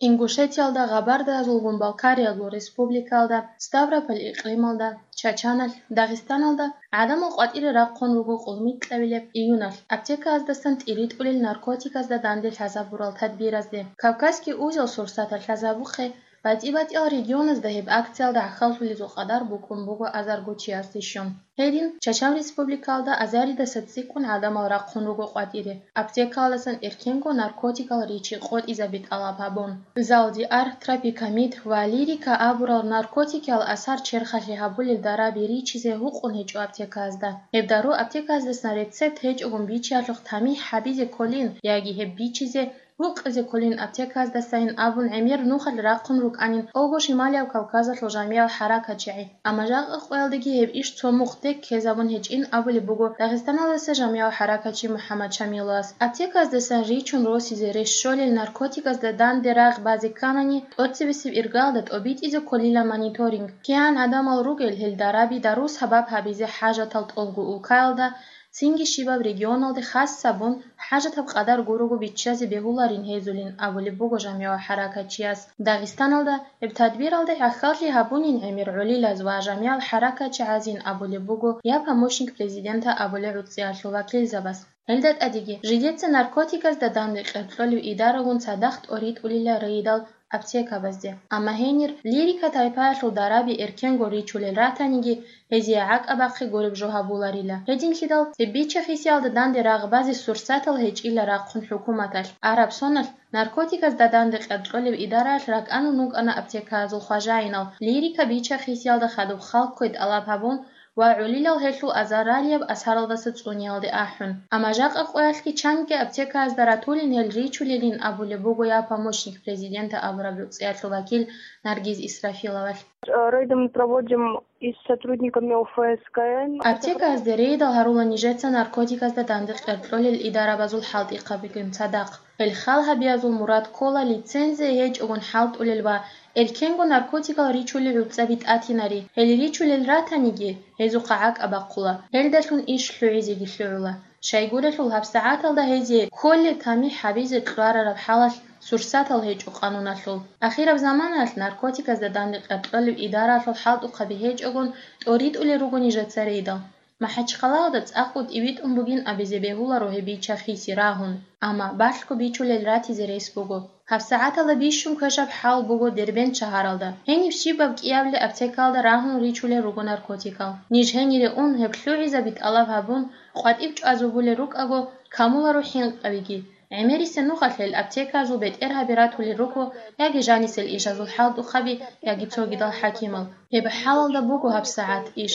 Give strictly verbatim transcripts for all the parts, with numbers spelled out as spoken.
Ингушетиялда, Гъабардаязулгун Балкариялгун республикаялда, Ставрополь икълималда, Чачаналъ, Дагъистаналда гӀадамал къватӀире рахъун руго къулмикьабилеб июналъ аптеказдасан тӀиритӀулел наркотиказда данде лъазабурал тадбиразде. Кавказский узел сурсаталъ лъазабухъе, батӀи-батӀиял регионазда гьеб акциялда гӀахьаллъулезул къадар букӀун буго азарго чиясде щун. Гьедин, Чачав республикаялда азаридаса цӀикӀкӀун гӀадамал рахъун руго къватӀире, аптекаялдасан эркенго наркотикал ричи къотӀизаби тӀалаб гьабун. Залдиар, тропикамид ва лирика абурал наркотикиял асар черхалъи гьабулел дараби ричизе гьукъун гьечӀо аптекаязда. Гьеб дару аптеказдасан рецепт гьечӀогун бичиялъухъ тамихӀ гьабизе кколин яги гьеб бичизе гьукъизе кколин аптеказдасайин абун гӀемер нухалъ рахъун рукӀанин ТӀолго Шималияб Кавказалъул жамигӀал хӀаракатчигӀи. Амма жакъа къоялдаги гьеб иш цо мухъ тек ккезабун гьечӀин абулеб буго Дагъистаналдаса жамигӀал хӀаракатчи МухӀаммад Шамиловас. Аптеказдасан ричун росизе рес щолел наркотикасда данде рагъ базе кканани, тӀоцебесеб иргаялда тӀобитӀизе кколила мониторинг. КигӀан гӀадамал ругел гьел дараби дару сабаб гьабизе хӀажатал тӀолго улкаялда, цинги щибаб регионалде хас гьабун, хӀажатаб къадар гурого биччазе бегьуларин гьезулин абулеб буго жамигӀал хӀаракатчияс. Дагъистаналда гьеб тадбиралде гӀахьаллъи гьабунин гӀемер гӀолилаз ва жамигӀал хӀаракатчигӀазин абулеб буго я помощник президента абулел гӀуцӀиялъул вакилзабаз. Гьелда тӀадеги, жидеца наркотикасда данде къеркьолев идарагун цадахъ тӀоритӀулила рейдал аптекабазде. Амма гьенир лирика тайпаялъул дараби эркенго ричулел ратаниги, гьезие гӀакӀабахъе гуреб жо гьабуларила. Гьединлъидал, цебича хисиялда данде рагъ базе сурсатал гьечӀила рахъун хӀукуматалъ. Араб соналъ наркотикасда данде къеркьолев идараялъ ракӀанун рукӀана аптекаязул хважаинал, лирика бича хисиялда хадуб халккой тӀалаб гьабун, ва гӀолилал гьелъул азаралияб асаралдаса цӀуниялде ахӀун. Амма жакъа къоялъги чанги аптекаязда ратулин гьел ричулелин абулеб буго я помощник президента абураб гӀуцӀиялъул вакил Наргиз Исрафиловалъ. Рейды мы проводим и с сотрудниками О Ф С К Н. Аптекаязде рейдал гьарула нижеца наркотикасда данде къеркьолел идарабазул хӀалтӀихъабигун цадахъ. Гьел хал гьабиязул мурад ккола лицензия гьечӀогун хӀалтӀулел ва эркенго наркотикал ричулел гӀуцӀаби тӀатинари. Гьел ричулел ратаниги, гьезухъа гӀакӀа бахъула, гьелдалъун иш лъугӀизеги лъугӀула. Щайгурелъул гьабсагӀаталда гьезие кколеб тамихӀ гьабизе кьварараб хӀалалъ сурсатал гьечӀо къануналъул. Ахираб заманаялъ наркотиказда данде къеркьолеб идараялъул хӀалтӀухъаби гьечӀогун тӀоритӀулел руго нижеца рейдал. МахӀачхъалаялда цӀакъго тӀибитӀун бугин абизе бегьуларо гьеб бича хиси рагьун, амма балъго бичулел ратизе рес буго. ГьабсагӀаталда бищун квешаб хӀал буго Дербент шагьаралда. Гьениб щибаб кӀиябли аптекаялда рагьун ричулел руго наркотикал. Ниж гьенире ун гьеб лъугӀизаби тӀалаб гьабун, къватӀиб чӀвазабулел рукӀаго, камуларо хӀинкъабиги. ГӀемерисеб нухалъ гьел аптекаязул бетӀергьаби ратулел руго яги жанисел ишазул хӀалтӀухъаби, яги цогидал хӀакимал. Гьеб хӀалалда буго гьабсагӀат иш.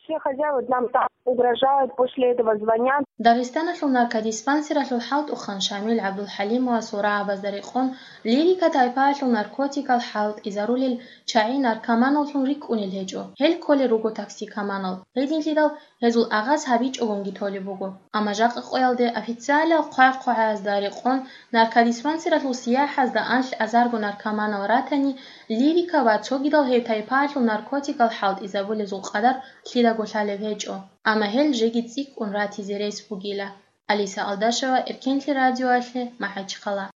Все хозяева нам там угрожают, после этого звонят. Дагъистаналъул наркодиспансералъул хӀалтӀухъан Шамил ГӀабдулхӀалимовасул рагӀабазда рекъон, лирика тайпаялъул наркотикал хӀалтӀизарулел чагӀи наркоманаллъун рикӀкӀунел гьечӀо. Гьел кколел руго токсикоманал. Гьединлъидал гьезул агъаз гьабичӀогунги толеб буго. Амма жакъа къоялде официалиял хъвай-хъвагӀазда рекъон наркодиспансералъул сияхӀазда анлъ азарго наркоманал ратани, лирика ва цогидал гьеб тайпаялъул наркотикал хӀалтӀизабулезул къадар лъидаго лъалеб гьечӀо. Амма гьел жеги цӀикӀкӀун ратизе рес бугила. Алиса Алдашева, Эркенлъи радиоялъе, МахӀачхъала.